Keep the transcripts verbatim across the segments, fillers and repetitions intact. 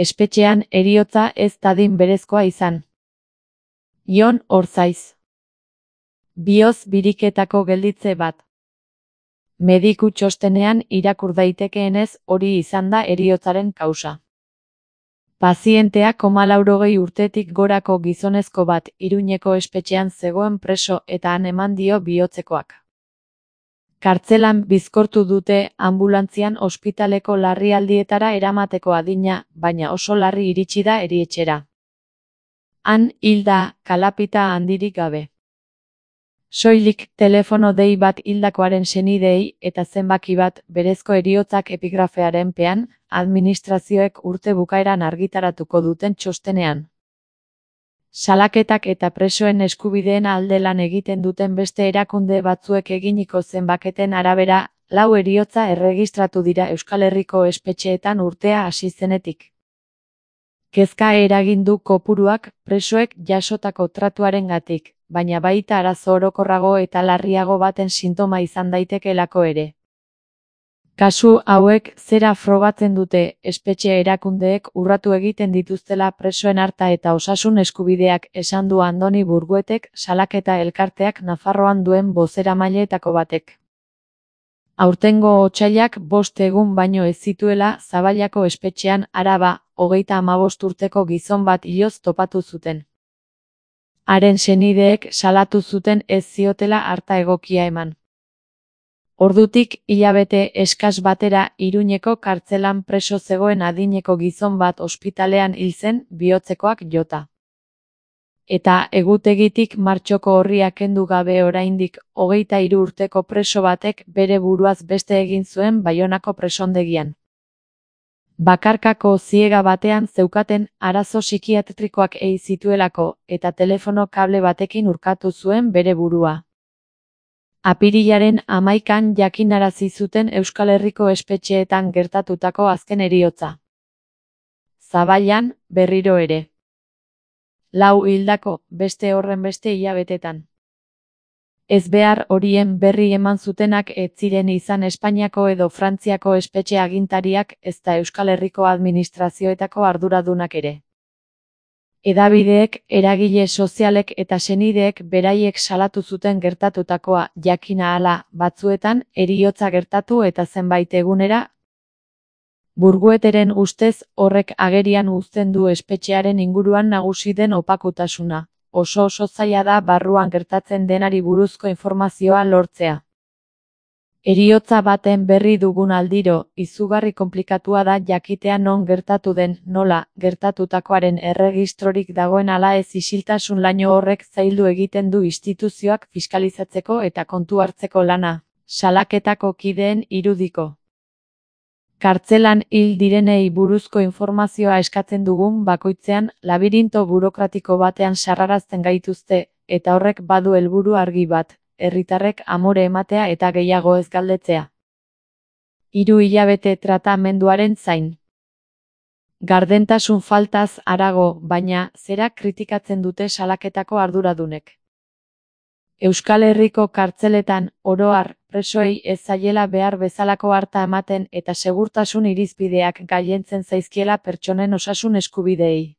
Espetxean heriotza ez dadin berezkoa izan. Jon Orzaiz. Bihotz biriketako gelditze bat. Mediku txostenean irakur daitekeenez hori izan da heriotzaren kausa. Pazientea koma laurogei urtetik gorako gizonezko bat Iruñeko espetxean zegoen preso eta han eman dio bihotzekoak. Kartzelan bizkortu dute anbulantzian ospitaleko larrialdietara eramateko adina, baina oso larri iritsi da erietxera. Han hilda, kalapita handirik gabe. Soilik telefono dei bat hildakoaren senideei eta zenbaki bat berezko heriotzak epigrafearen pean, administrazioek urte bukaeran argitaratuko duten txostenean. Salaketak eta presoen eskubideen alde lan egiten duten beste erakunde batzuek eginiko zenbaketen arabera, lau heriotza erregistratu dira Euskal Herriko espetxeetan urtea hasi zenetik. Kezka eragin du kopuruak presoek jasotako tratuarengatik, baina baita arazo orokorrago eta larriago baten sintoma izan daitekeelako ere. Kasu hauek zera frogatzen dute, espetxe erakundeek urratu egiten dituztela presoen harta eta osasun eskubideak, esan du Andoni Burguetek, salaketa elkarteak Nafarroan duen bozeramaileetako batek. Aurtengo otsailak bost egun baino ez zituela Zaballako espetxean Araba, hogeita hamabost urteko gizon bat hiloz topatu zuten. Haren senideek salatu zuten ez ziotela harta egokia eman. Ordutik hilabete eskas batera Iruñeko kartzelan preso zegoen adineko gizon bat ospitalean hil zen bihotzekoak jota. Eta egutegitik martxoko orria kendu gabe oraindik hogeita hiru urteko preso batek bere buruaz beste egin zuen Baionako presondegian. Bakarkako ziega batean zeukaten arazo psikiatrikoak ei zituelako eta telefono kable batekin urkatu zuen bere burua. Apirilaren hamaikan jakinarazi zuten Euskal Herriko espetxeetan gertatutako azken heriotza. Zaballan, berriro ere. Lau hildako, beste horren beste hilabetetan. Ez behar horien berri eman zutenak ez ziren izan Espainiako edo Frantziako espetxe agintariak ezta Euskal Herriko administrazioetako arduradunak ere. Hedabideek, eragile sozialek eta senideek beraiek salatu zuten gertatutakoa, jakina hala, batzuetan, heriotza gertatu eta zenbait egunera. Burgueteren ustez, horrek agerian uzten du espetxearen inguruan nagusi den opakutasuna. Oso oso zaila da barruan gertatzen denari buruzko informazioa lortzea. Heriotza baten berri dugun aldiro, izugarri konplikatua da jakitea non gertatu den, nola, gertatutakoaren erregistrorik dagoen ala ez isiltasun laino horrek zaildu egiten du instituzioak fiskalizatzeko eta kontu hartzeko lana, salaketako kideen irudiko. Kartzelan hil direnei buruzko informazioa eskatzen dugun bakoitzean labirinto burokratiko batean sarrarazten gaituzte, eta horrek badu helburu argi bat, herritarrek amore ematea eta gehiago ez galdetzea. Hiru hilabete tratamenduaren zain. Gardentasun faltaz harago, baina zera kritikatzen dute salaketako arduradunek. Euskal Herriko kartzeletan, oro har, presoei ez zaiela behar bezalako harta ematen eta segurtasun irizpideak gailentzen zaizkiela pertsonen osasun eskubideei.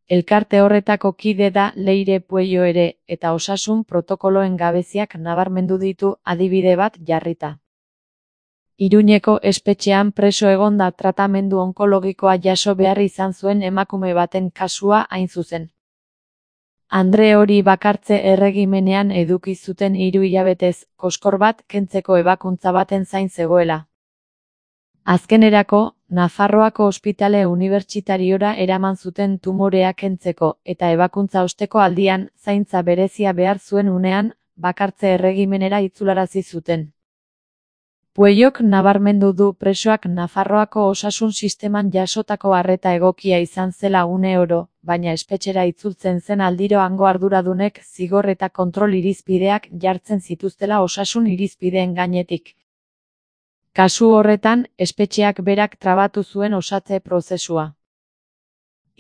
Elkarte horretako kide da Leire Puello ere, eta osasun protokoloen gabeziak nabarmendu ditu adibide bat jarrita. Iruñeko espetxean preso egonda tratamendu onkologikoa jaso behar izan zuen emakume baten kasua hain zuzen. Andre hori bakartze erregimenean eduki zuten hiru hilabetez, koskor bat kentzeko ebakuntza baten zain zegoela. Azkenerako, Nafarroako ospitale unibertsitariora eraman zuten tumorea kentzeko eta ebakuntza osteko aldian, zaintza berezia behar zuen unean, bakartze erregimenera itzularazi zuten. Puellok nabarmendu du presoak Nafarroako osasun sisteman jasotako arreta egokia izan zela une oro, baina espetxera itzultzen zen aldiro hango arduradunek zigor eta kontrol irizpideak jartzen zituztela osasun irizpideen gainetik. Kasu horretan, espetxeak berak trabatu zuen osatze prozesua.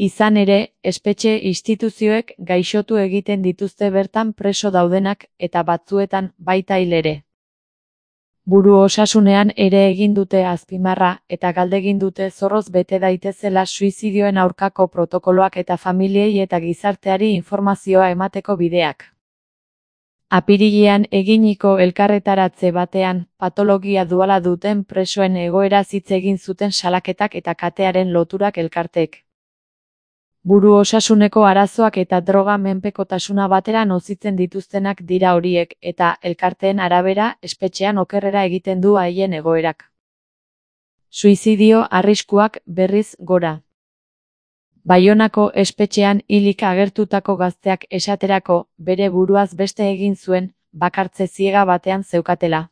Izan ere, espetxe instituzioek gaixotu egiten dituzte bertan preso daudenak eta batzuetan baita hil ere. Buru osasunean ere egin dute azpimarra eta galdegin dute zorroz bete daitezela suizidioen aurkako protokoloak eta familiei eta gizarteari informazioa emateko bideak. Apirilean eginiko elkarretaratze batean, patologia duala duten presoen egoera hitz egin zuten salaketak eta katearen loturak elkartek. Buru osasuneko arazoak eta droga menpekotasuna batera nozitzen dituztenak dira horiek, eta elkarteen arabera, espetxean okerrera egiten du haien egoerak. Suizidio arriskuak berriz gora. Baionako espetxean hilik agertutako gazteak esaterako, bere buruaz beste egin zuen, bakartze ziega batean zeukatela.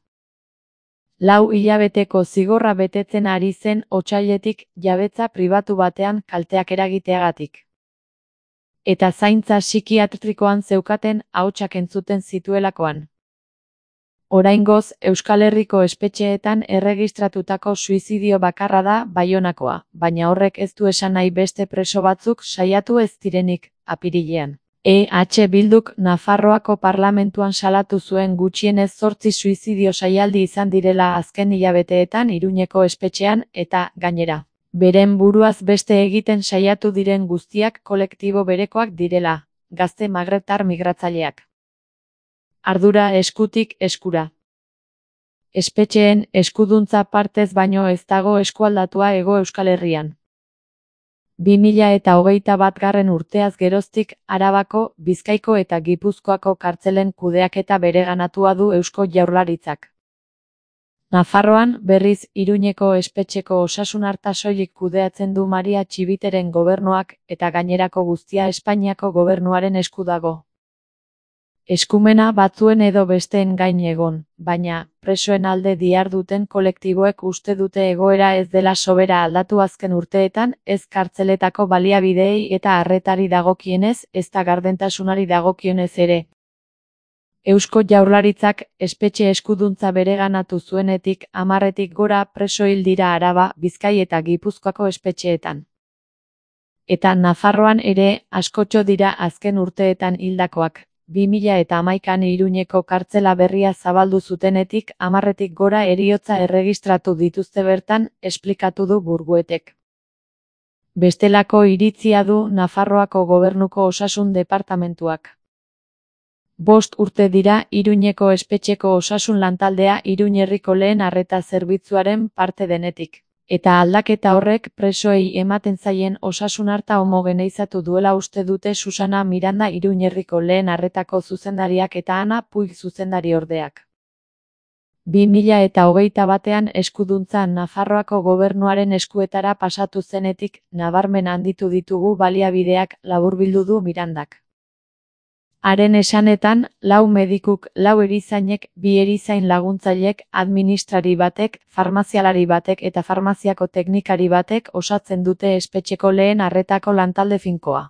Lau hilabeteko zigorra betetzen ari zen otsailetik jabetza pribatu batean kalteak eragiteagatik. Eta zaintza psikiatrikoan zeukaten ahotsak entzuten zituelakoan. Oraingoz, Euskal Herriko espetxeetan erregistratutako suizidio bakarra da Baionakoa, baina horrek ez du esan nahi beste preso batzuk saiatu ez direnik, apirilean. E H Bilduk Nafarroako parlamentuan salatu zuen gutxienez zortzi suizidio saialdi izan direla azken hilabeteetan Iruñeko espetxean eta, gainera, beren buruaz beste egiten saiatu diren guztiak kolektibo berekoak direla, gazte magrebtar migratzaileak. Ardura eskutik eskura. Espetxeen eskuduntza partez baino ez dago eskualdatua Hego Euskal Herrian. bi mila eta hogeita batgarren urteaz geroztik Arabako, Bizkaiko eta Gipuzkoako kartzelen kudeaketa bereganatua du Eusko Jaurlaritzak. Nafarroan, berriz, Iruñeko espetxeko osasun arta soilik kudeatzen du Maria Txibiteren gobernuak eta gainerako guztia Espainiako gobernuaren esku dago. Eskumena batzuen edo besteen gain egon, baina, presoen alde diharduten kolektiboek uste dute egoera ez dela sobera aldatu azken urteetan, ez kartzeletako baliabideei eta arretari dagokienez, ezta gardentasunari dagokionez ere. Eusko Jaurlaritzak espetxe eskuduntza bereganatu zuenetik hamarretik gora preso hil dira Araba, Bizkai eta Gipuzkoako espetxeetan. Eta Nafarroan ere askotxo dira azken urteetan hildakoak. bi mila eta hamaikan Iruñeko kartzela berria zabaldu zutenetik hamarretik gora heriotza erregistratu dituzte bertan, esplikatu du Burguetek. Bestelako iritzia du Nafarroako gobernuko osasun departamentuak. Bost urte dira Iruñeko espetxeko osasun lantaldea Iruñ herriko lehen arreta zerbitzuaren parte denetik. Eta aldaketa horrek presoei ematen zaien osasun arta homogeneizatu duela uste dute Susana Miranda Iruñ herriko lehen arretako zuzendariak eta Ana Puig zuzendari ordeak. bi mila eta hogeita batean eskuduntza Nafarroako gobernuaren eskuetara pasatu zenetik nabarmen handitu ditugu baliabideak, laburbildu du Mirandak. Haren esanetan, lau medikuk, lau erizainek, bi erizain laguntzailek, administrari batek, farmazialari batek eta farmaziako teknikari batek osatzen dute espetxeko lehen arretako lantalde finkoa.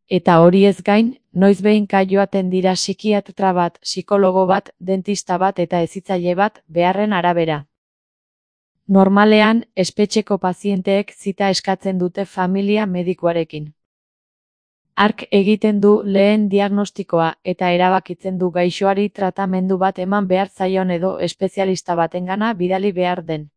Eta hori ez gain, noizbehinka joaten dira psikiatra bat, psikologo bat, dentista bat eta hezitzaile bat, beharren arabera. Normalean, espetxeko pazienteek zita eskatzen dute familia medikuarekin. Hark egiten du lehen diagnostikoa eta erabakitzen du gaixoari tratamendu bat eman behar zaion edo espezialista batengana bidali behar den.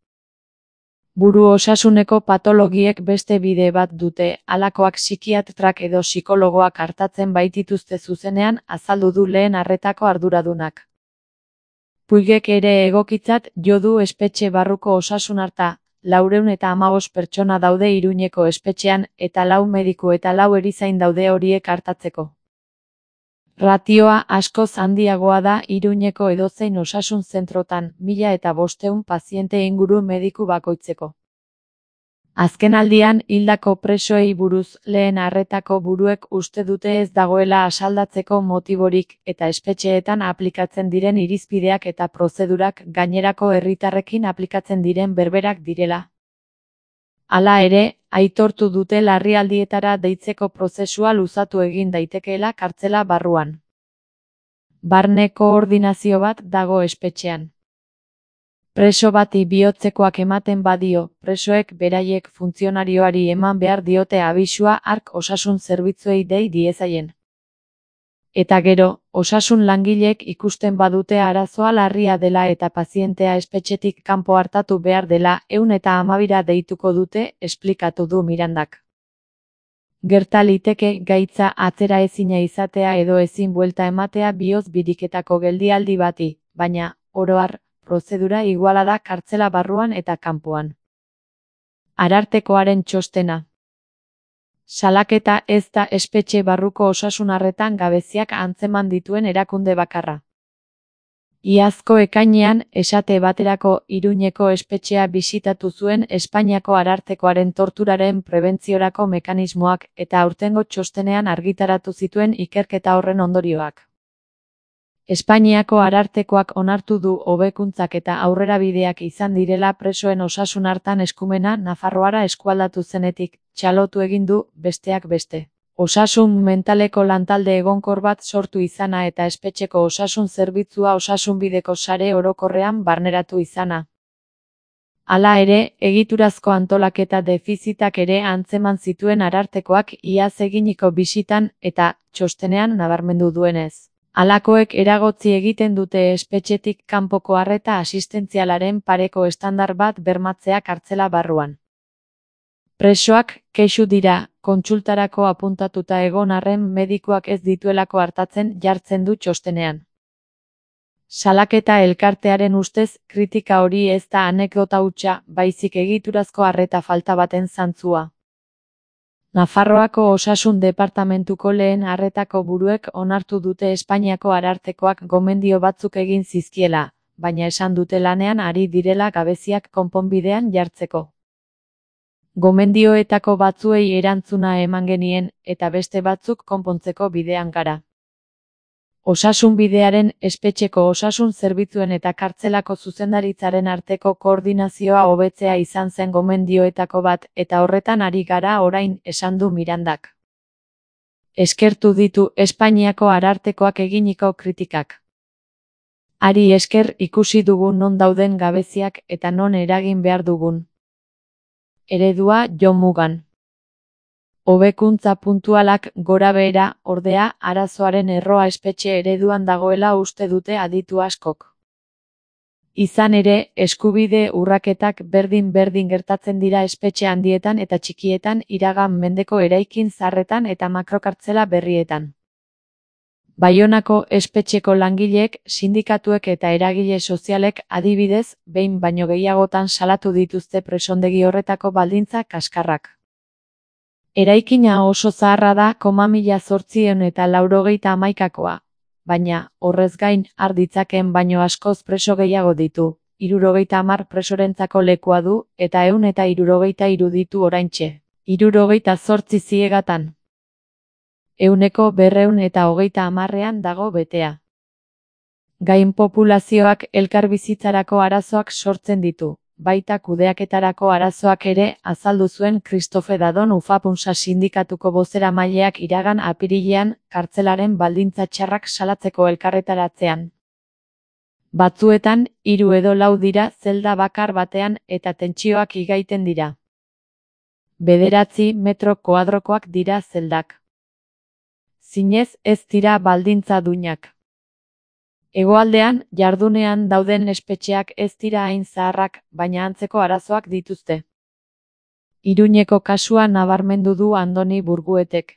Buru osasuneko patologiek beste bide bat dute, halakoak psikiatrak edo psikologoak artatzen baitituzte zuzenean, azaldu du lehen arretako arduradunak. Puigek ere egokitzat jo du espetxe barruko osasun arta. Laurehun eta hamabost pertsona daude Iruñeko espetxean eta lau mediku eta lau erizain daude horiek artatzeko. Ratioa askoz handiagoa da Iruñeko edozein osasun zentrotan, mila eta bostehun paziente inguru mediku bakoitzeko. Azkenaldian hildako presoei buruz lehen arretako buruek uste dute ez dagoela asaldatzeko motiborik eta espetxeetan aplikatzen diren irizpideak eta prozedurak gainerako herritarrekin aplikatzen diren berberak direla. Hala ere, aitortu dute larrialdietara deitzeko prozesua luzatu egin daitekeela kartzela barruan. Barne koordinazio bat dago espetxean. Preso bati bihotzekoak ematen badio, presoek beraiek funtzionarioari eman behar diote abisua hark osasun zerbitzuei dei diezaien. Eta gero, osasun langileek ikusten badute arazoa larria dela eta pazientea espetxetik kanpo hartatu behar dela, ehun eta hamabira deituko dute, esplikatu du Mirandak. Gerta liteke gaitza atzera ezina izatea edo ezin buelta ematea bihotz biriketako geldialdi bati, baina, oro har, prozedura iguala da kartzela barruan eta kanpoan. Arartekoaren txostena. Salaketa ez da espetxe barruko osasun arretan gabeziak antzeman dituen erakunde bakarra. Iazko ekainean, esate baterako, Iruñeko espetxea bisitatu zuen Espainiako Arartekoaren torturaren prebentziorako mekanismoak eta aurtengo txostenean argitaratu zituen ikerketa horren ondorioak. Espainiako Arartekoak onartu du hobekuntzak eta aurrerabideak izan direla presoen osasun hartan eskumena Nafarroara eskualdatu zenetik, txalotu egin du, besteak beste. Osasun mentaleko lantalde egonkor bat sortu izana eta espetxeko osasun zerbitzua osasunbideko sare orokorrean barneratu izana. Hala ere, egiturazko antolaketa defizitak ere antzeman zituen Arartekoak iaz eginiko bisitan eta txostenean nabarmendu duenez. Halakoek eragotzi egiten dute espetxetik kanpoko arreta asistentzialaren pareko estandar bat bermatzea kartzela barruan. Presoak kexu dira, kontsultarako apuntatuta egon arren medikuak ez dituelako hartatzen jartzen du txostenean. Salaketa elkartearen ustez, kritika hori ez da anekdota hutsa, baizik egiturazko arreta falta baten zantzua. Nafarroako osasun departamentuko lehen arretako buruek onartu dute Espainiako Arartekoak gomendio batzuk egin zizkiela, baina esan dute lanean ari direla gabeziak konponbidean jartzeko. Gomendioetako batzuei erantzuna eman genien, eta beste batzuk konpontzeko bidean gara. Osasunbidearen, espetxeko osasun zerbitzuen eta kartzelako zuzendaritzaren arteko koordinazioa hobetzea izan zen gomendioetako bat, eta horretan ari gara orain, esan du Mirandak. Eskertu ditu Espainiako Arartekoak eginiko kritikak. Hari esker ikusi dugu non dauden gabeziak eta non eragin behar dugun. Eredua Jon Mugan. Hobekuntza puntualak gorabehera, ordea, arazoaren erroa espetxe ereduan dagoela uste dute aditu askok. Izan ere, eskubide urraketak berdin-berdin gertatzen dira espetxe handietan eta txikietan iragan mendeko eraikin zaharretan eta makrokartzela berrietan. Baionako espetxeko langileek, sindikatuek eta eragile sozialek adibidez, behin baino gehiagotan salatu dituzte presondegi horretako baldintza kaskarrak. Eraikina oso zaharra da koma mila zortziehun eta laurogeita hamaikakoa, baina, horrez gain, har ditzakeen baino askoz preso gehiago ditu, hirurogeita hamar presorentzako lekua du, eta ehun eta hirurogeita hiru ditu oraintxe, hirurogeita zortzi ziegatan. Ehuneko berrehun eta hogeita hamarrean dago betea. Gain populazioak elkarbizitzarako arazoak sortzen ditu, baita kudeaketarako arazoak ere, azaldu zuen Christophe Dadon Ufapunsa sindikatuko bozeramaileak iragan apirilean, kartzelaren baldintza txarrak salatzeko elkarretaratzean. Batzuetan, hiru edo lau dira zelda bakar batean eta tentsioak igaiten dira. Bederatzi metro koadrokoak dira zeldak. Zinez ez dira baldintza duinak. Hegoaldean, jardunean dauden espetxeak ez dira hain zaharrak, baina antzeko arazoak dituzte. Iruñeko kasua nabarmendu du Andoni Burguetek.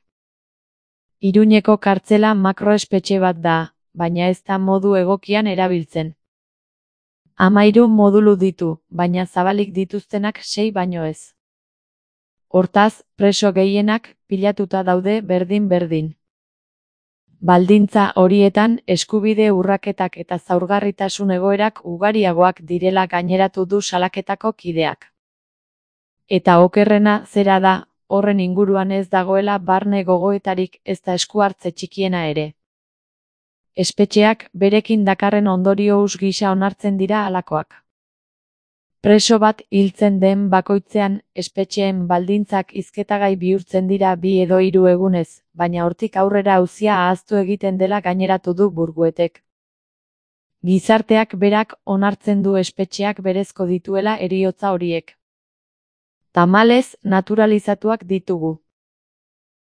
Iruñeko kartzela makroespetxe bat da, baina ez da modu egokian erabiltzen. Hamairu modulu ditu, baina zabalik dituztenak sei baino ez. Hortaz, preso gehienak pilatuta daude berdin-berdin. Baldintza horietan, eskubide urraketak eta zaurgarritasun egoerak ugariagoak direla gaineratu du salaketako kideak. Eta okerrena zera da, horren inguruan ez dagoela barne gogoetarik ez da esku hartze txikiena ere. Espetxeak berekin dakarren ondorio hus gisa onartzen dira halakoak. Preso bat hiltzen den bakoitzean, espetxeen baldintzak hizketagai bihurtzen dira bi edo hiru egunez, baina hortik aurrera auzia ahaztu egiten dela gaineratu du Burguetek. Gizarteak berak onartzen du espetxeak berezko dituela heriotza horiek. Tamalez, naturalizatuak ditugu.